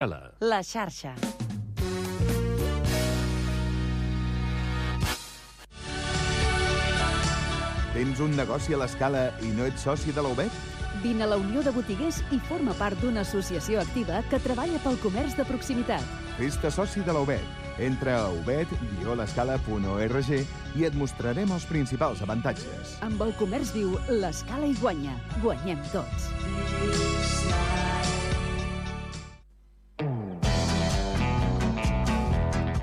La xarxa. Tens un negoci a l'Escala i no ets soci de la UBET? Vine a la Unió de Botiguers i forma part d'una associació activa que treballa pel comerç de proximitat. Fes-te soci de la UBET. Entra a ubet-l'escala.org i et mostrarem els principals avantatges. Amb el comerç viu, l'Escala hi guanya. Guanyem tots.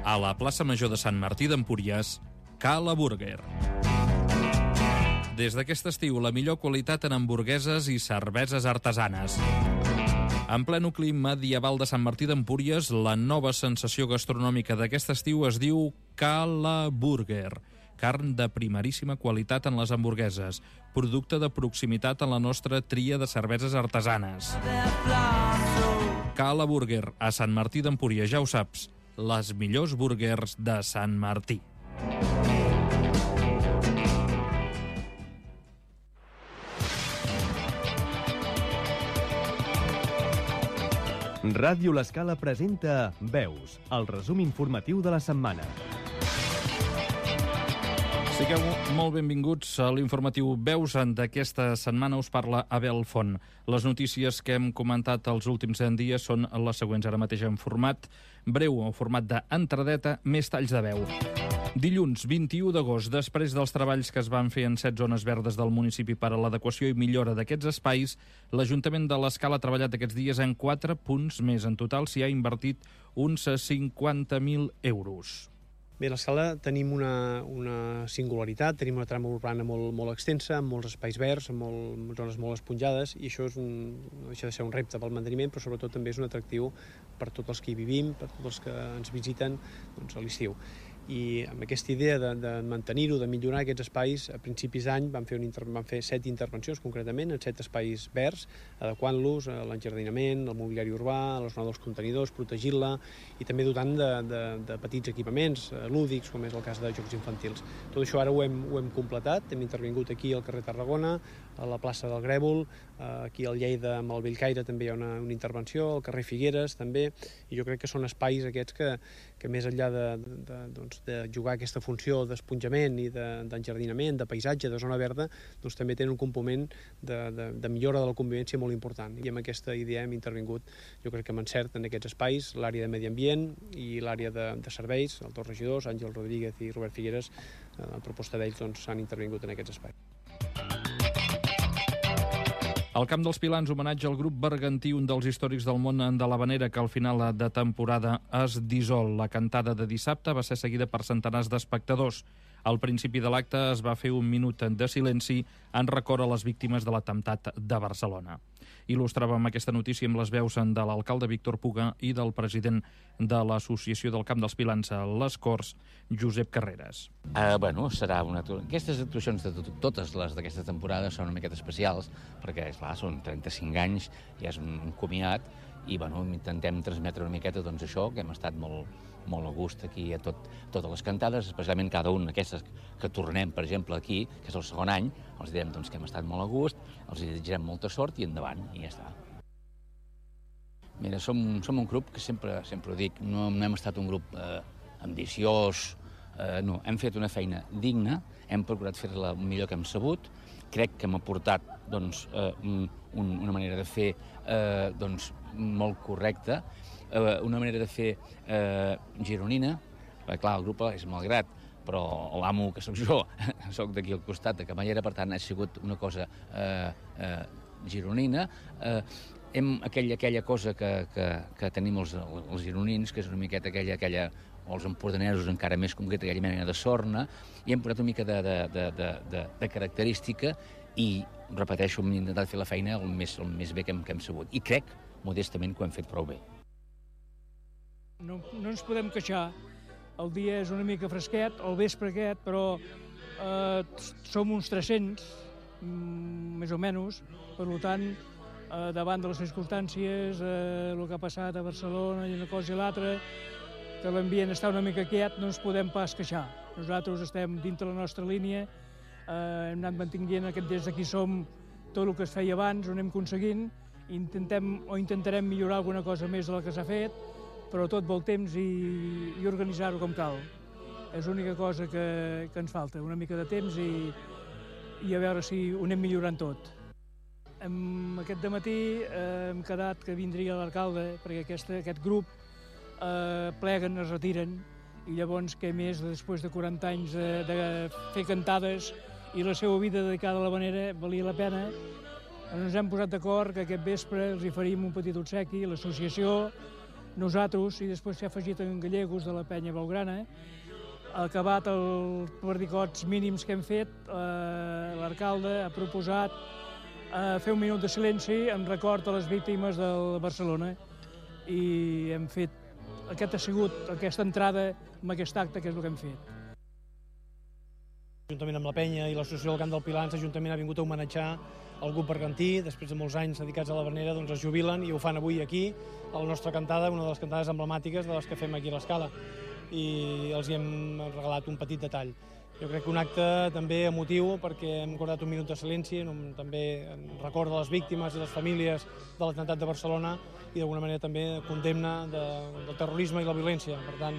A la plaça Major de Sant Martí d'Empúries, Cala Burger. Des d'aquest estiu, la millor qualitat en hamburgueses i cerveses artesanes. En ple nucli medieval de Sant Martí d'Empúries, la nova sensació gastronòmica d'aquest estiu es diu Cala Burger. Carn de primeríssima qualitat en les hamburgueses, producte de proximitat en la nostra tria de cerveses artesanes. Cala Burger, a Sant Martí d'Empúries, ja ho saps, les millors burgers de Sant Martí. Ràdio L'Escala presenta Veus, el resum informatiu de la setmana. Sigueu molt benvinguts a l'informatiu Veus. D'aquesta setmana us parla Abel Font. Les notícies que hem comentat els últims dies són les següents, ara mateix en format breu, en format d'entradeta, més talls de veu. Dilluns, 21 d'agost, després dels treballs que es van fer en 7 zones verdes del municipi per a l'adequació i millora d'aquests espais, l'Ajuntament de l'Escala ha treballat aquests dies en 4 punts més. En total s'hi ha invertit uns 50.000 euros. Bé, a l'Escala tenim una singularitat, tenim una trama urbana molt extensa, amb molts espais verds, amb zones molt esponjades, i això no deixa de ser un repte pel manteniment, però sobretot també és un atractiu per tots els que hi vivim, per tots els que ens visiten a l'estiu. I amb aquesta idea de mantenir-ho, de millorar aquests espais, a principis d'any vam fer 7 intervencions concretament en 7 espais verds, adequant-los a l'enjardinament, al mobiliari urbà, a la zona dels contenidors, protegir-la i també dotant de petits equipaments lúdics, com és el cas de jocs infantils. Tot això ara ho hem completat, hem intervingut aquí al carrer Tarragona, a la plaça del Grèvol, aquí al Lleida amb el Bellcaire també hi ha una intervenció, al carrer Figueres també, i jo crec que són espais aquests que més enllà de jugar aquesta funció d'esponjament i d'enjardinament, de paisatge, de zona verda, doncs també tenen un component de millora de la convivència molt important. I amb aquesta idea hem intervingut, jo crec que amb encert, en aquests espais, l'àrea de medi ambient i l'àrea de serveis, els dos regidors, Àngel Rodríguez i Robert Figueres, a proposta d'ells s'han intervingut en aquests espais. Al Camp dels Pilans, homenatge al grup bergantí, un dels històrics del món de l'Havanera, que al final de temporada es dissol. La cantada de dissabte va ser seguida per centenars d'espectadors. Al principi de l'acte es va fer un minut de silenci en record a les víctimes de l'atemptat de Barcelona. Il·lustràvem aquesta notícia amb les veus de l'alcalde Víctor Puga i del president de l'Associació del Camp dels Pilans a les Corts, Josep Carreras. Serà aquestes actuacions, totes les d'aquesta temporada, són una miqueta especials, perquè, esclar, són 35 anys, ja és un comiat, i intentem transmetre una miqueta això, que hem estat molt a gust aquí a totes les cantades, especialment cada una d'aquestes que tornem, per exemple, aquí, que és el segon any, els direm que hem estat molt a gust, els desitjarem molta sort i endavant, i ja està. Mira, som un grup que sempre ho dic, no hem estat un grup ambiciós, no, hem fet una feina digna, hem procurat fer-la el millor que hem sabut, crec que hem aportat una manera de fer molt correcta, una manera de fer gironina, perquè clar, el grup és Malgrat, però l'amo que sóc jo, sóc d'aquí al costat de Camallera, per tant ha sigut una cosa gironina, aquella cosa que tenim els gironins, que és una miqueta aquella o els empordanesos encara més concreta, aquella mena de sorna, i hem posat una mica de característica i, repeteixo, hem intentat fer la feina el més bé que hem sabut. I crec, modestament, que ho hem fet prou bé. No ens podem queixar. El dia és una mica fresquet, el vespre aquest, però som uns 300, més o menys. Per tant, davant de les circumstàncies, el que ha passat a Barcelona i una cosa i l'altra, que l'ambient està una mica quiet, no ens podem pas queixar. Nosaltres estem dintre la nostra línia, hem anat mantenint des d'aquí som tot el que es feia abans, ho anem aconseguint, intentarem millorar alguna cosa més del que s'ha fet, però tot vol temps i organitzar-ho com cal. És l'única cosa que ens falta, una mica de temps i a veure si ho anem millorant tot. Aquest dematí hem quedat que vindria l'alcalde, perquè aquest grup pleguen, es retiren, i llavors què més, després de 40 anys de fer cantades i la seva vida dedicada a l'havanera, valia la pena. Ens hem posat d'acord que aquest vespre els hi faríem un petit obsequi, l'associació, nosaltres, i després s'ha afegit en Gallegos de la penya Blaugrana. Acabat els perdicots mínims que hem fet, l'alcalde ha proposat fer un minut de silenci en record a les víctimes de Barcelona i hem fet, ha sigut aquesta entrada amb aquest acte, que és el que hem fet. Juntament amb la penya i l'associació del Camp del Pilar, l'Ajuntament ha vingut a homenatjar el grup bergantí. Després de molts anys dedicats a l'havanera, doncs es jubilen i ho fan avui aquí, a la nostra cantada, una de les cantades emblemàtiques de les que fem aquí a l'Escala. I els hi hem regalat un petit detall. Jo crec que un acte també emotiu, perquè hem acordat un minut de silenci, també en record de les víctimes i les famílies de l'atemptat de Barcelona i d'alguna manera també condemna del terrorisme i la violència. Per tant,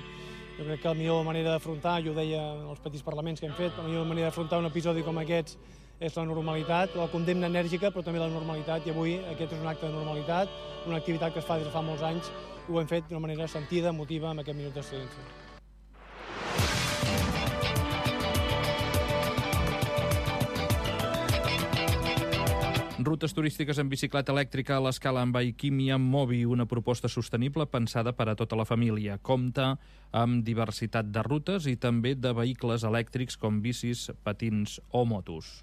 jo crec que la millor manera d'afrontar, jo ho deia en els petits parlaments que hem fet, la millor manera d'afrontar un episodi com aquests és la normalitat, la condemna enèrgica, però també la normalitat, i avui aquest és un acte de normalitat, una activitat que es fa des de fa molts anys, i ho hem fet d'una manera sentida, emotiva, amb aquest minut de silenci. Rutes turístiques en bicicleta elèctrica a l'Escala amb Bikeimia Mobi, una proposta sostenible pensada per a tota la família. Compta amb diversitat de rutes i també de vehicles elèctrics com bicis, patins o motos.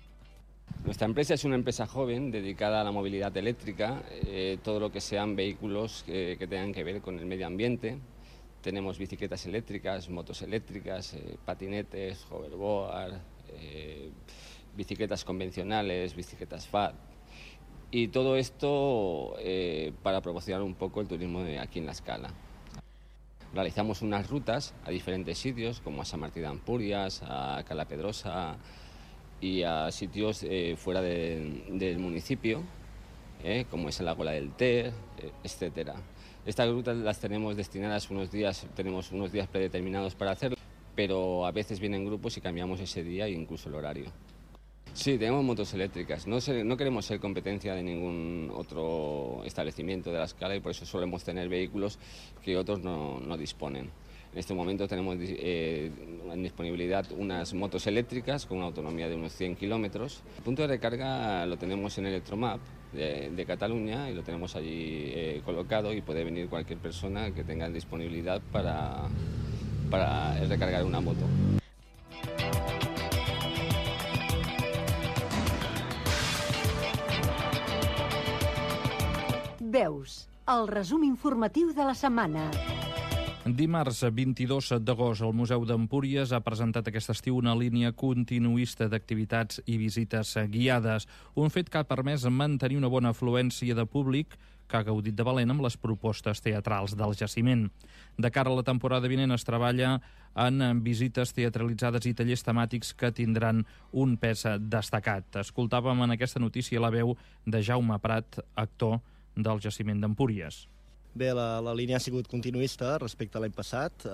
Nuestra empresa es una empresa joven dedicada a la movilidad eléctrica, todo lo que sean vehículos que tengan que ver con el medio ambiente. Tenemos bicicletas eléctricas, motos eléctricas, patinetes, hoverboard, bicicletas convencionales, bicicletas FAT. Y todo esto para promocionar un poco el turismo de aquí en La Escala. Realizamos unas rutas a diferentes sitios, como a Sant Martí d'Empúries, a Cala Pedrosa y a sitios fuera del municipio, como es el Lago del Ter, etc. Estas rutas las tenemos destinadas tenemos unos días predeterminados para hacerlo, pero a veces vienen grupos y cambiamos ese día e incluso el horario. Sí, tenemos motos eléctricas. No queremos ser competencia de ningún otro establecimiento de La Escala y por eso solemos tener vehículos que otros no disponen. En este momento tenemos en disponibilidad unas motos eléctricas con una autonomía de unos 100 kilómetros. El punto de recarga lo tenemos en Electromap de Cataluña y lo tenemos allí colocado y puede venir cualquier persona que tenga disponibilidad para recargar una moto. Veus, el resum informatiu de la setmana. Dimarts 22 d'agost, el Museu d'Empúries ha presentat aquest estiu una línia continuista d'activitats i visites guiades, un fet que ha permès mantenir una bona afluència de públic que ha gaudit de valent amb les propostes teatrals del jaciment. De cara a la temporada vinent es treballa en visites teatralitzades i tallers temàtics que tindran un pes destacat. Escoltàvem en aquesta notícia la veu de Jaume Prat, actor del jaciment d'Empúries. Bé, la línia ha sigut continuista respecte a l'any passat,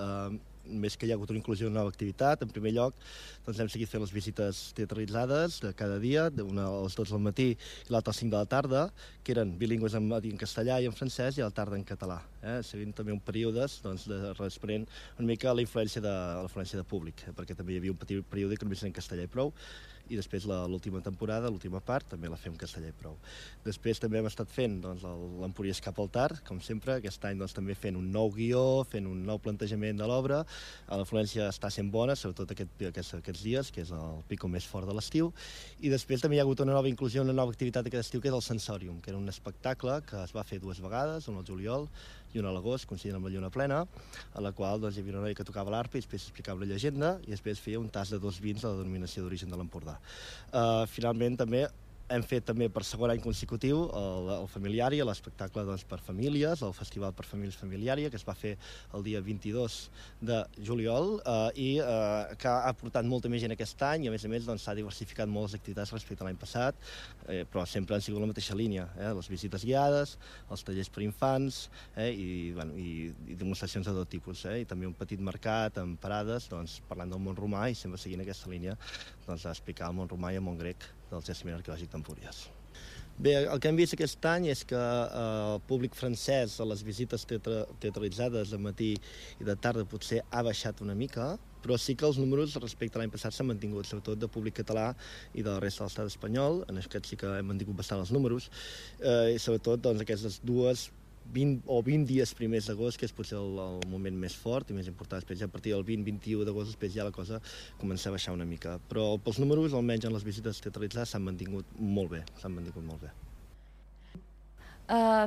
més que hi ha hagut una inclusió de nova activitat. En primer lloc, doncs hem seguit fent les visites teatralitzades de cada dia, una a les 12 del matí i l'altra a les 5 de la tarda, que eren bilingües en castellà i en francès i a la tarda en català, seguint també un període responent una mica a la influència de públic, perquè també hi havia un petit període que només era en castellà i prou, i després l'última temporada, l'última part, també la fem castellà i prou. Després també hem estat fent l'Empúries cap al tard, com sempre, aquest any també fent un nou guió, fent un nou plantejament de l'obra. L'afluència està sent bona, sobretot aquests dies, que és el pico més fort de l'estiu. I després també hi ha hagut una nova inclusió, una nova activitat aquest estiu, que és el Sensorium, que era un espectacle que es va fer 2 vegades, una al juliol i una a l'agost, coincidint amb la lluna plena, a la qual hi havia una noia que tocava l'arpa i després explicava la llegenda i després feia un tas de 2 vins de la denominació d'origen de l'Empordà. Finalment també Hem fet també per segon any consecutiu el Familiària, l'espectacle per famílies, el Festival per Famílies Familiària, que es va fer el dia 22 de juliol i que ha portat molta més gent aquest any i a més s'ha diversificat molt les activitats respecte a l'any passat, però sempre han sigut la mateixa línia, les visites guiades, els tallers per infants i demostracions de tot tipus, i també un petit mercat amb parades parlant del món romà i sempre seguint aquesta línia d'explicar el món romà i el món grec del jaciment arqueològic d'Empúries. Bé, el que hem vist aquest any és que el públic francès a les visites teatralitzades de matí i de tarda potser ha baixat una mica, però sí que els números respecte a l'any passat s'han mantingut, sobretot de públic català i de la resta de l'estat espanyol. En aquest sí que hem mantingut bastant els números, i sobretot aquestes 20 dies primers d'agost, que és potser el moment més fort i més important. Després ja a partir del 20-21 d'agost després ja la cosa comença a baixar una mica. Però pels números, almenys en les visites teatralitzades, s'han mantingut molt bé.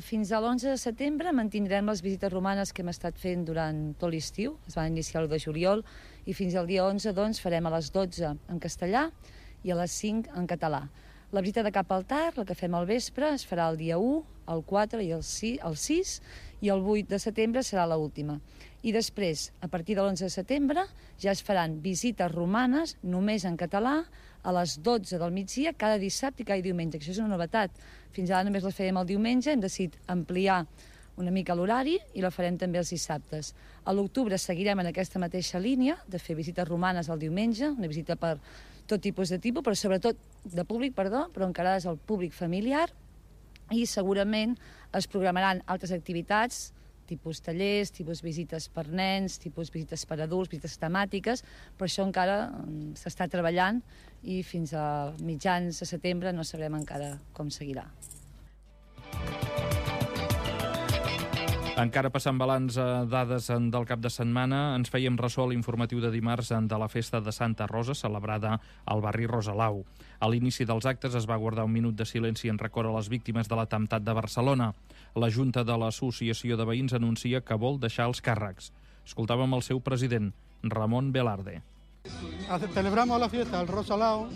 Fins a l'11 de setembre mantindrem les visites romanes que hem estat fent durant tot l'estiu. Es van iniciar l'1 de juliol i fins al dia 11 farem a les 12 en castellà i a les 5 en català. La visita de cap altar, la que fem al vespre, es farà el dia 1, el 4 i el 6, i el 8 de setembre serà l'última. I després, a partir de l'11 de setembre, ja es faran visites romanes només en català a les 12 del migdia cada dissabte i cada diumenge, que això és una novetat. Fins ara només les fèiem el diumenge, hem decidit ampliar una mica l'horari i la farem també els dissabtes. A l'octubre seguirem en aquesta mateixa línia de fer visites romanes el diumenge, una visita per tot tipus, però sobretot de públic, però encarades al públic familiar, i segurament es programaran altres activitats, tipus tallers, tipus visites per nens, tipus visites per adults, visites temàtiques, però això encara s'està treballant i fins a mitjans de setembre no sabrem encara com seguirà. Encara passant balanç a dades del cap de setmana, ens fèiem ressò a l'informatiu de dimarts de la festa de Santa Rosa, celebrada al barri Rosalau. A l'inici dels actes es va guardar un minut de silenci en record a les víctimes de l'atemptat de Barcelona. La Junta de l'Associació de Veïns anuncia que vol deixar els càrrecs. Escoltàvem el seu president, Ramon Velarde. Celebramos la fiesta del Rosalao,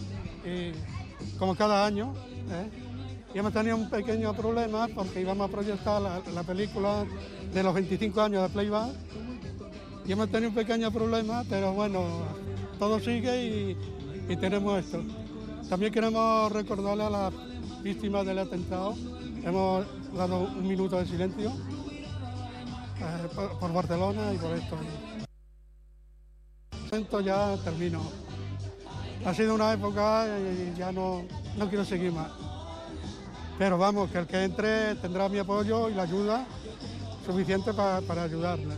como cada año, y hemos tenido un pequeño problema porque íbamos a proyectar la película de los 25 años de Playback y hemos tenido un pequeño problema, pero bueno, todo sigue y tenemos esto. También queremos recordarle a las víctimas del atentado, hemos dado un minuto de silencio por Barcelona y por esto. Esto ya termino. Ha sido una época y ya no quiero seguir más. Pero vamos, que el que entre tendrá mi apoyo y la ayuda suficiente para ayudarle.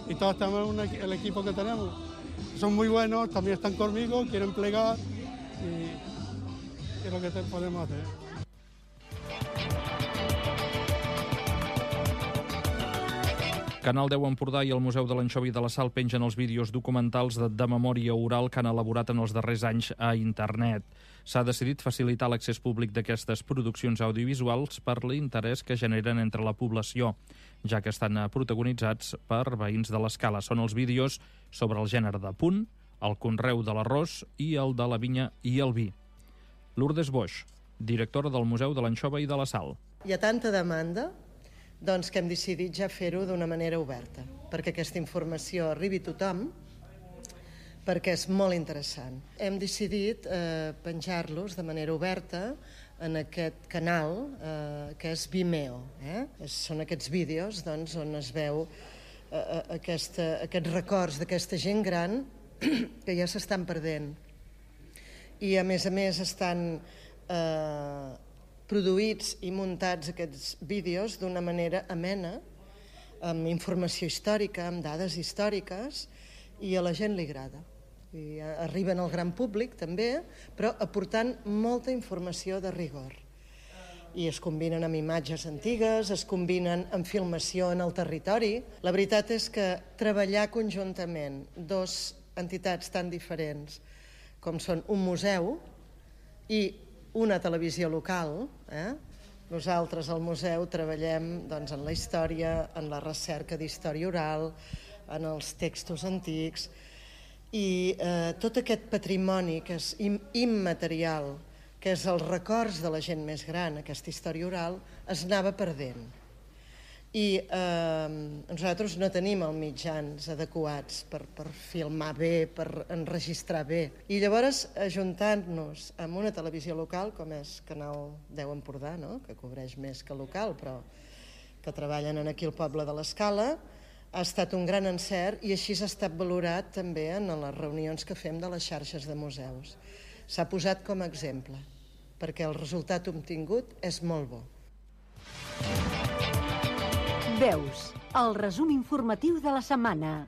Y todos tenemos el equipo que tenemos. Son muy buenos, también están conmigo, quieren plegar y es lo que podemos hacer. Canal 10 Empordà i el Museu de l'Anxovi de la Sal pengen els vídeos documentals de memòria oral que han elaborat en els darrers anys a internet. S'ha decidit facilitar l'accés públic d'aquestes produccions audiovisuals per l'interès que generen entre la població, ja que estan protagonitzats per veïns de l'Escala. Són els vídeos sobre el gènere de punt, el conreu de l'arròs i el de la vinya i el vi. Lourdes Boix, directora del Museu de l'Anxova i de la Sal. Hi ha tanta demanda que hem decidit ja fer-ho d'una manera oberta, perquè aquesta informació arribi a tothom, perquè és molt interessant. Hem decidit penjar-los de manera oberta en aquest canal que és Vimeo. Són aquests vídeos on es veu aquests records d'aquesta gent gran que ja s'estan perdent. I a més estan produïts i muntats aquests vídeos d'una manera amena, amb informació històrica, amb dades històriques, i a la gent li agrada. I arriben al gran públic també, però aportant molta informació de rigor. I es combinen amb imatges antigues, es combinen amb filmació en el territori. La veritat és que treballar conjuntament dues entitats tan diferents com són un museu i una televisió local. Nosaltres al museu treballem en la història, en la recerca d'història oral, en els textos antics, i tot aquest patrimoni que és immaterial que és els records de la gent més gran, aquesta història oral, es anava perdent. I nosaltres no tenim els mitjans adequats per filmar bé, per enregistrar bé. I llavors, ajuntant-nos amb una televisió local, com és Canal 10 Empordà, que cobreix més que local, però que treballen aquí al poble de l'Escala, ha estat un gran encert i així s'ha estat valorat també en les reunions que fem de les xarxes de museus. S'ha posat com a exemple, perquè el resultat obtingut és molt bo. Veus, el resum informatiu de la setmana.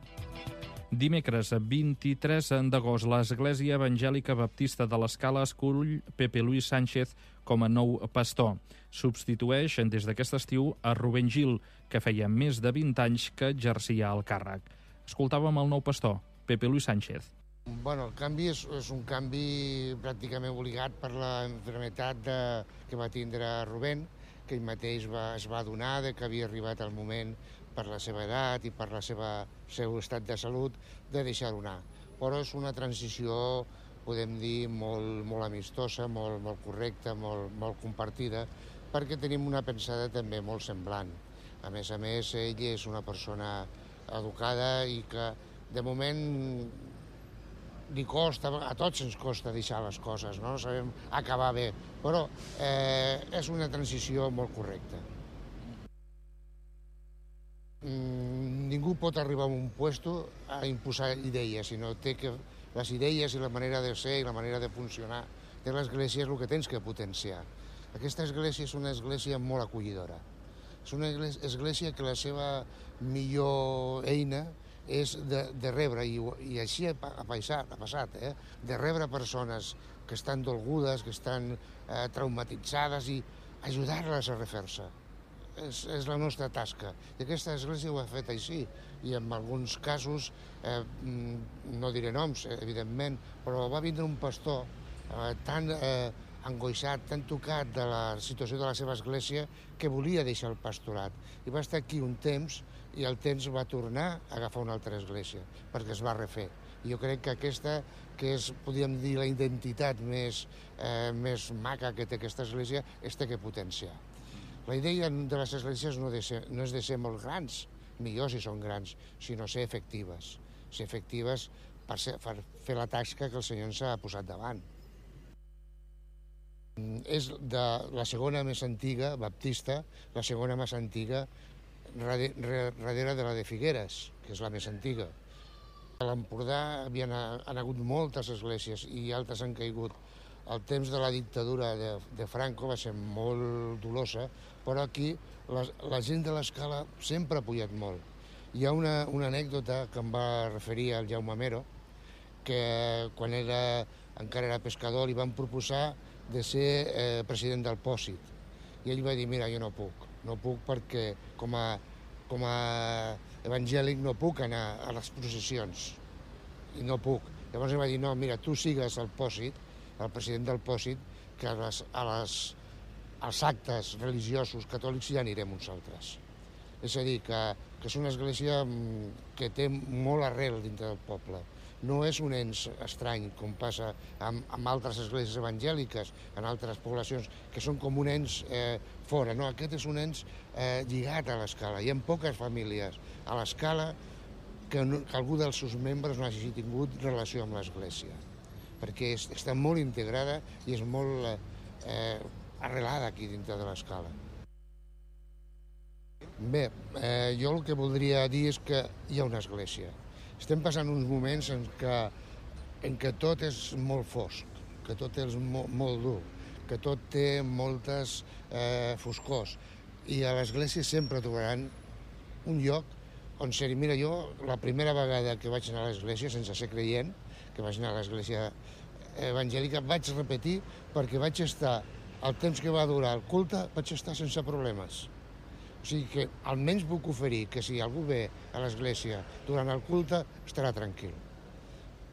Dimecres 23 d'agost, l'Església Evangèlica Baptista de l'Escala escull Pepe Luis Sánchez com a nou pastor. Substitueix des d'aquest estiu a Rubén Gil, que feia més de 20 anys que exercia el càrrec. Escoltàvem el nou pastor, Pepe Luis Sánchez. Bueno, el canvi és un canvi pràcticament obligat per la malaltia que va tindre Rubén, que ell mateix es va adonar que havia arribat el moment, per la seva edat i per el seu estat de salut, de deixar-ho anar. Però és una transició, podem dir, molt amistosa, molt correcta, molt compartida, perquè tenim una pensada també molt semblant. A més, ell és una persona educada i que, de moment, li costa, a tots ens costa deixar les coses, no sabem acabar bé, però és una transició molt correcta. Ningú pot arribar a un puesto a imposar idees, sinó té que les idees i la manera de ser i la manera de funcionar de l'Església és el que tens que potenciar. Aquesta Església és una Església molt acollidora. És una Església que la seva millor eina és de rebre, i així ha passat, de rebre persones que estan dolgudes, que estan traumatitzades i ajudar-les a refer-se. És la nostra tasca. I aquesta Església ho ha fet així. I en alguns casos, no diré noms, evidentment, però va vindre un pastor tan angoixat, tan tocat de la situació de la seva església, que volia deixar el pastorat. I va estar aquí un temps, i el temps va tornar a agafar una altra església, perquè es va refer. I jo crec que aquesta, que és, podríem dir, la identitat més maca que té aquesta església, és que potenciar. La idea de les esglésies no és de ser molt grans, millor si són grans, sinó ser efectives. Ser efectives per fer la tasca que el Senyor ens ha posat davant. És la segona més antiga, baptista, la segona més antiga darrere de la de Figueres, que és la més antiga. A l'Empordà han hagut moltes esglésies i altres han caigut. El temps de la dictadura de Franco va ser molt dolosa, però aquí la gent de l'Escala sempre ha pujat molt. Hi ha una anècdota que em va referir al Jaume Mero, que quan encara era pescador li van proposar de ser president del Pòsit. I ell va dir, mira, jo no puc perquè com a evangèlic no puc anar a les processions, i no puc. Llavors ell va dir, no, mira, tu sigues el Pòsit, el president del Pòsit, que als actes religiosos catòlics ja anirem uns altres. És a dir, que és una església que té molt arrel dintre del poble. No és un ens estrany, com passa amb altres esglésies evangèliques, en altres poblacions, que són com un ens fora. No, aquest és un ens lligat a l'Escala. Hi ha poques famílies a l'Escala que algú dels seus membres no hagi tingut relació amb l'Església, perquè està molt integrada i és molt arrelada aquí dintre de l'Escala. Bé, jo el que voldria dir és que hi ha una església. Estem passant uns moments en què tot és molt fosc, que tot és molt dur, que tot té moltes foscors. I a l'església sempre trobaran un lloc on ser-hi. Mira, jo la primera vegada que vaig anar a l'església, sense ser creient, que vaig anar a l'església evangèlica, vaig repetir perquè vaig estar, el temps que va durar el culte, vaig estar sense problemes. O sigui que almenys puc oferir que si algú ve a l'església durant el culte, estarà tranquil.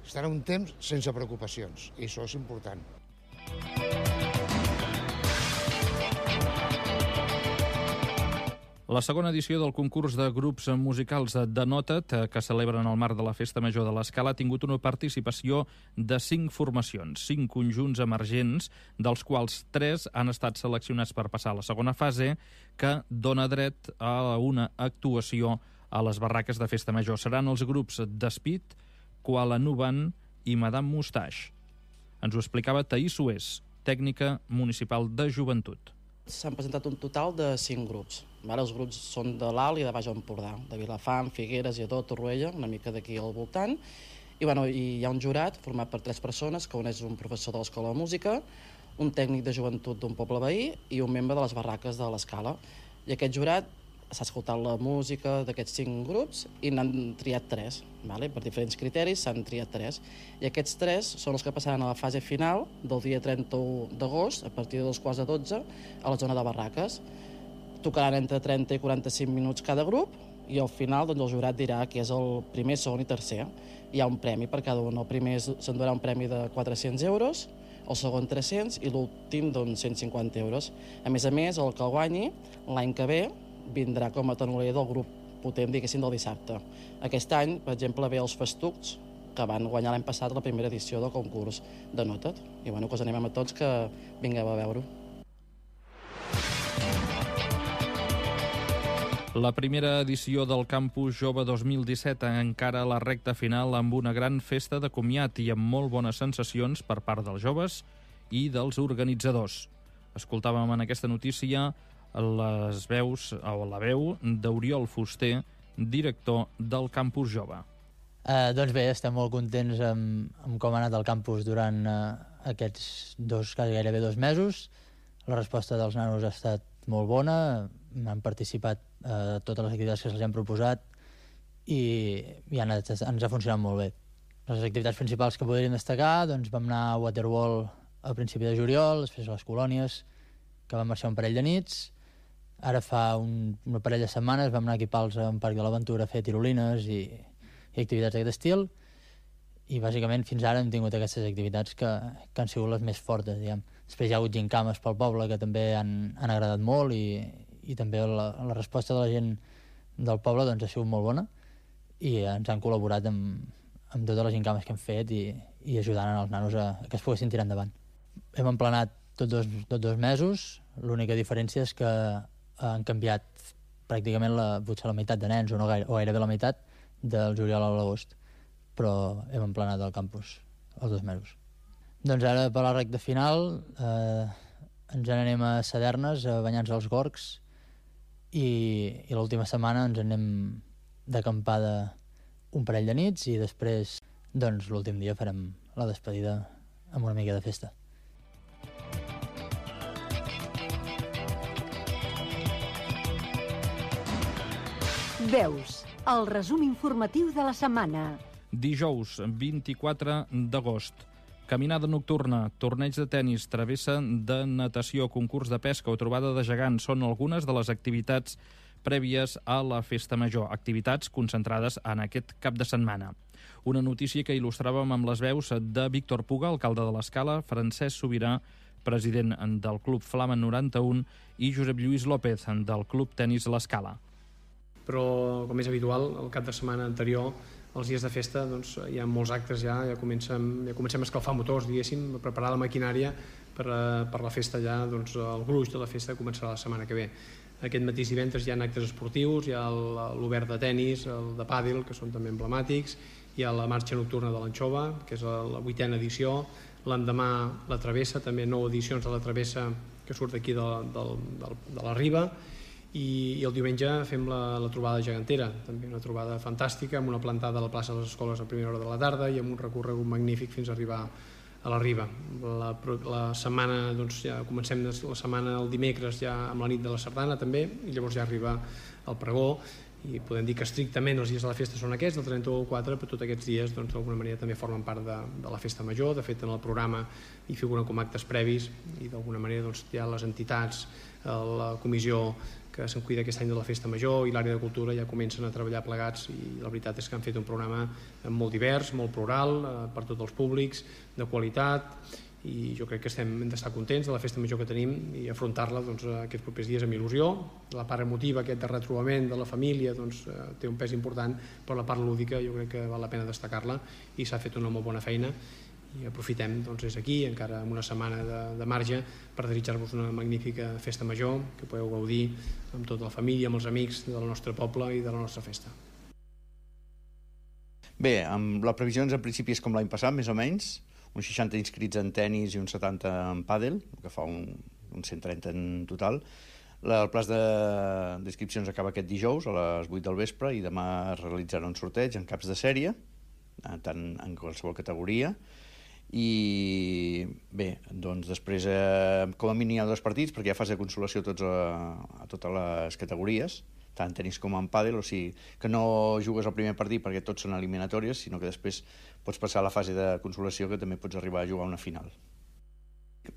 Estarà un temps sense preocupacions, i això és important. La segona edició del concurs de grups musicals de Nota't, que celebren el marc de la Festa Major de l'Escala, ha tingut una participació de 5 formacions, 5 conjunts emergents, dels quals 3 han estat seleccionats per passar a la segona fase, que dona dret a una actuació a les barraques de Festa Major. Seran els grups Despit, Kuala Nuban i Madame Moustache. Ens ho explicava Taís Sués, tècnica municipal de joventut. S'han presentat un total de 5 grups. Els grups són de l'Alt i de Baix Empordà, de Vilafant, Figueres, Lledó, Torroella, una mica d'aquí al voltant. I hi ha un jurat format per 3 persones, que un és un professor de l'Escola de Música, un tècnic de joventut d'un poble veí i un membre de les barraques de l'Escala. I aquest jurat s'ha escoltat la música d'aquests 5 grups i n'han triat 3. Per diferents criteris s'han triat 3. I aquests 3 són els que passaran a la fase final del dia 31 d'agost, a partir de 2:15 a la zona de barraques. Tocaran entre 30 i 45 minuts cada grup i al final el jurat dirà qui és el primer, segon i tercer. Hi ha un premi per cada un. El primer s'endurà un premi de 400 euros, el segon 300 i l'últim 150 euros. A més, el que el guanyi l'any que ve vindrà com a tenoler del grup potent, diguéssim, del dissabte. Aquest any, per exemple, ve els Festucs, que van guanyar l'any passat la primera edició del concurs de Nota't. I que us animem a tots que vingueu a veure-ho. La primera edició del Campus Jove 2017 encara a la recta final amb una gran festa de comiat i amb molt bones sensacions per part dels joves i dels organitzadors. Escoltàvem en aquesta notícia les veus, o la veu d'Oriol Fuster, director del Campus Jove. Doncs bé, estem molt contents amb com ha anat el campus durant aquests gairebé 2 mesos. La resposta dels nanos ha estat molt bona, han participat a totes les activitats que se'ls han proposat i ens ha funcionat molt bé. Les activitats principals que podríem destacar, doncs vam anar a Waterwall a principi de juliol, després a les colònies, que vam marxar un parell de nits. Ara fa una parella de setmanes vam anar a equipar-los a un parc de l'Aventura a fer tirolines i activitats d'aquest estil. I bàsicament fins ara hem tingut aquestes activitats que han sigut les més fortes, diguem. Després hi ha hagut gincames pel poble que també han agradat molt i també la resposta de la gent del poble doncs, ha sigut molt bona i ens han col·laborat amb totes les gincames que hem fet i ajudant els nanos a que es poguessin tirar endavant. Hem emplenat tot 2 mesos, l'única diferència és que han canviat pràcticament potser la meitat de nens o gairebé la meitat del juliol a l'agost, però hem emplenat el campus els 2 mesos. Doncs ara per la recta final ens n'anem a Sadernes a banyar-nos als Gorgs i l'última setmana ens anem d'acampada un parell de nits i després doncs l'últim dia farem la despedida amb una mica de festa. Veus, el resum informatiu de la setmana. Dijous, 24 d'agost. Caminada nocturna, torneig de tennis, travessa de natació, concurs de pesca o trobada de gegants són algunes de les activitats prèvies a la Festa Major, activitats concentrades en aquest cap de setmana. Una notícia que il·lustràvem amb les veus de Víctor Puga, alcalde de l'Escala, Francesc Sobirà, president del Club Flama 91, i Josep Lluís López, del Club Tenis l'Escala. Però, com és habitual, el cap de setmana anterior, els dies de festa, doncs, hi ha molts actes ja comencem a escalfar motors, diguéssim, a preparar la maquinària per la festa ja, doncs el gruix de la festa començarà la setmana que ve. Aquest mateix divendres hi ha actes esportius, hi ha l'obert de tennis, el de pàdel, que són també emblemàtics, hi ha la marxa nocturna de l'Anxova, que és la 8a edició, l'endemà la travessa, també 9 edicions de la travessa que surt d'aquí de la Riba, i el diumenge fem la trobada gegantera, també una trobada fantàstica, amb una plantada a la plaça de les Escoles a primera hora de la tarda i amb un recorregut magnífic fins a arribar a la Riba. La setmana, doncs ja comencem la setmana el dimecres ja amb la nit de la sardana també, i llavors ja arriba el pregó, i podem dir que estrictament els dies de la festa són aquests, del 31 al 4, però tots aquests dies d'alguna manera també formen part de la festa major. De fet, en el programa hi figuren com actes previs i d'alguna manera hi ha les entitats, la comissió que se'n cuida aquest any de la festa major i l'àrea de cultura ja comencen a treballar plegats, i la veritat és que han fet un programa molt divers, molt plural, per tots els públics, de qualitat, i jo crec que hem d'estar contents de la festa major que tenim i afrontar-la aquests propers dies amb il·lusió. La part emotiva, aquest de retrobament de la família, té un pes important, però la part lúdica jo crec que val la pena destacar-la i s'ha fet una molt bona feina i aprofitem des d'aquí, encara amb una setmana de marge, per desitjar-vos una magnífica festa major, que podeu gaudir amb tota la família, amb els amics del nostre poble i de la nostra festa. Bé, amb les previsions en principi és com l'any passat, més o menys, uns 60 inscrits en tennis i uns 70 en pàdel, que fa uns 130 en total. El plaç d'inscripcions acaba aquest dijous a les 8 del vespre i demà es realitzarà un sorteig en caps de sèrie, tant en qualsevol categoria. I bé, doncs després com a mínim hi ha 2 partits perquè hi ha fase de consolació a totes les categories, tant en tenis com en pàdel, o sigui que no jugues el primer partit perquè tots són eliminatòries, sinó que després pots passar a la fase de consolació que també pots arribar a jugar una final.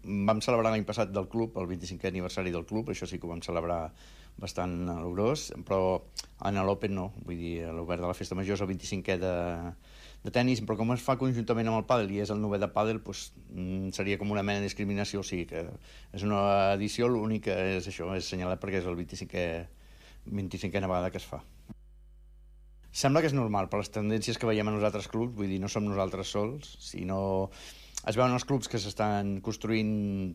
Vam celebrar l'any passat del club, el 25è aniversari del club, això sí que ho vam celebrar bastant a lo gros, però en l'Open no, vull dir, l'Obert de la Festa Major és el 25è de tenis, però com es fa conjuntament amb el pàdel i és el 9è de pàdel, doncs seria com una mena de discriminació, o sigui que és una edició, l'únic que és això, és assenyalat perquè és el 25è vegada que es fa. Sembla que és normal, per les tendències que veiem en els altres clubs, vull dir, no som nosaltres sols, sinó es veuen els clubs que s'estan construint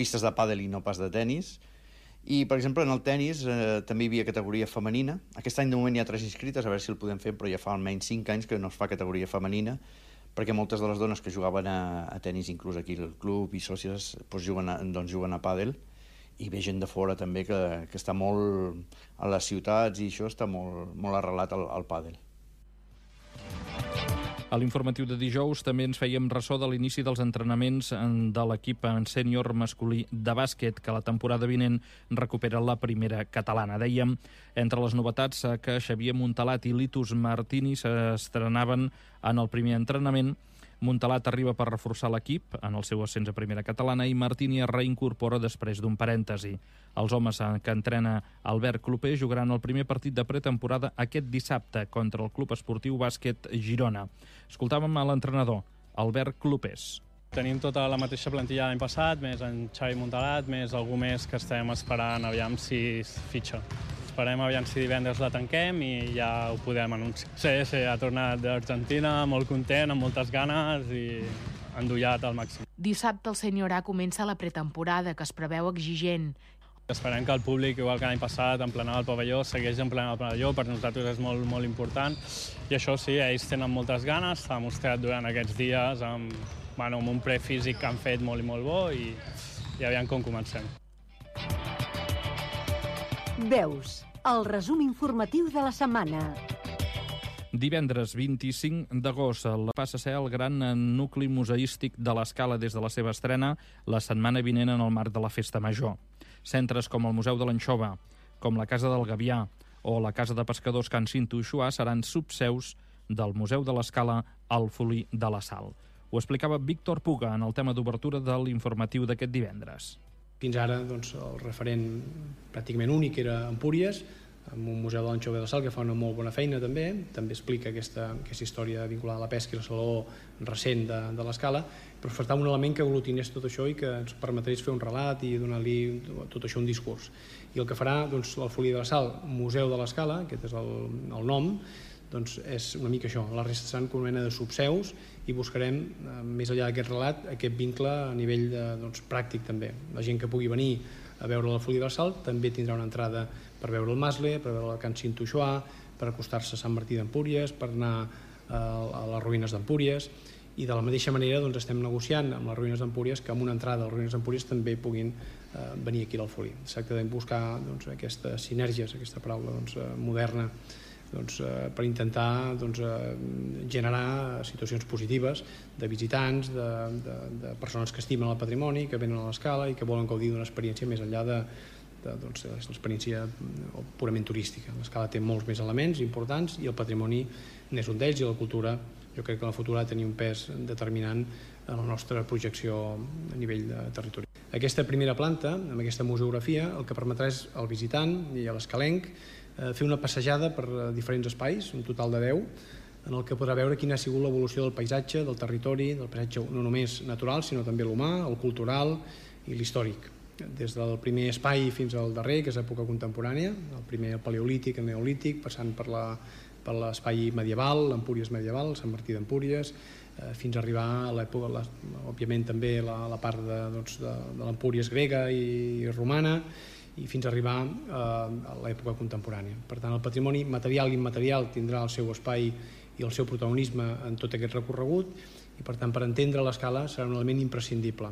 pistes de pàdel i no pas de tenis, i, per exemple, en el tenis també hi havia categoria femenina. Aquest any de moment hi ha 3 inscrites, a veure si el podem fer, però ja fa almenys 5 anys que no es fa categoria femenina, perquè moltes de les dones que jugaven a tenis, inclús aquí al club i sòcies, doncs juguen a pàdel, i ve gent de fora també que està molt a les ciutats i això està molt arrelat al pàdel. A l'informatiu de dijous també ens fèiem ressò de l'inici dels entrenaments de l'equip en sènior masculí de bàsquet, que la temporada vinent recupera la primera catalana. Dèiem, entre les novetats, que Xavier Montalat i Litus Martini s'estrenaven en el primer entrenament. Montalat arriba per reforçar l'equip en el seu ascens a primera catalana i Martini es reincorpora després d'un parèntesi. Els homes que entrena Albert Clopé jugaran el primer partit de pretemporada aquest dissabte contra el Club Esportiu Bàsquet Girona. Escoltàvem a l'entrenador, Albert Clopés. Tenim tota la mateixa plantilla l'any passat, més en Xavi Montalat, més algú més que estem esperant aviam si es fitxa. Esperem aviam si divendres la tanquem i ja ho podem anunciar. Sí, ha tornat d'Argentina, molt content, amb moltes ganes i endollat al màxim. Dissabte el sènior A comença la pretemporada, que es preveu exigent. Esperem que el públic, igual que l'any passat, emplenava el pavelló, segueix emplenant el pavelló, per nosaltres és molt important. I això sí, ells tenen moltes ganes, s'ha mostrat durant aquests dies amb un prefísic que han fet molt bo i aviam com comencem. Veus, el resum informatiu de la setmana. Divendres 25 d'agost passa a ser el gran nucli museístic de l'Escala des de la seva estrena la setmana vinent en el marc de la Festa Major. Centres com el Museu de l'Anxova, com la Casa del Gavià o la Casa de Pescadors Can Cinto-Uixuà seran subseus del Museu de l'Escala al Folí de la Sal. Ho explicava Víctor Puga en el tema d'obertura de l'informatiu d'aquest divendres. Fins ara el referent pràcticament únic era Empúries, amb un museu de l'Anxova de la Sal que fa una molt bona feina també explica aquesta història vinculada a la pesca i el saló recent de l'Escala, però faltava un element que aglutinés tot això i que ens permetés fer un relat i donar-li tot això un discurs. I el que farà el Folí de la Sal, Museu de l'Escala, aquest és el nom, és una mica això, la resta seran com una mena de subseus i buscarem, més enllà d'aquest relat, aquest vincle a nivell pràctic també. La gent que pugui venir a veure la Folí de la Sal també tindrà una entrada per veure el Masle, per veure el Can Cinto-Uixuà, per acostar-se a Sant Martí d'Empúries, per anar a les ruïnes d'Empúries, i de la mateixa manera estem negociant amb les ruïnes d'Empúries que amb una entrada a les ruïnes d'Empúries també puguin venir aquí al Folí. Es tracta de buscar aquestes sinergies, aquesta paraula moderna, per intentar generar situacions positives de visitants, de persones que estimen el patrimoni, que venen a l'Escala i que volen gaudir d'una experiència més enllà de l'experiència purament turística. L'Escala té molts més elements importants i el patrimoni n'és un d'ells, i la cultura jo crec que en el futur ha de tenir un pes determinant en la nostra projecció a nivell de territori. Aquesta primera planta, amb aquesta museografia, el que permetrà és al visitant i a l'escalenc fer una passejada per diferents espais, un total de 10, en el que podrà veure quina ha sigut l'evolució del paisatge, del territori, del paisatge no només natural, sinó també l'humà, el cultural i l'històric. Des del primer espai fins al darrer, que és època contemporània, el primer el paleolític, el neolític, passant per l'espai medieval, l'Empúries medieval, Sant Martí d'Empúries, fins a arribar a l'època, òbviament també la part de l'Empúries grega i romana, i fins a arribar a l'època contemporània. Per tant, el patrimoni material i immaterial tindrà el seu espai i el seu protagonisme en tot aquest recorregut, i per tant, per entendre l'escala serà un element imprescindible.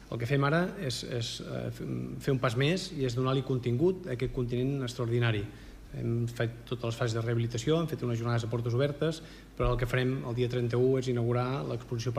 El que fem ara és fer un pas més i és donar-li contingut a aquest continent extraordinari. Hem fet totes les fases de rehabilitació, hem fet unes jornades a portes obertes, però el que farem el dia 31 és inaugurar l'exposició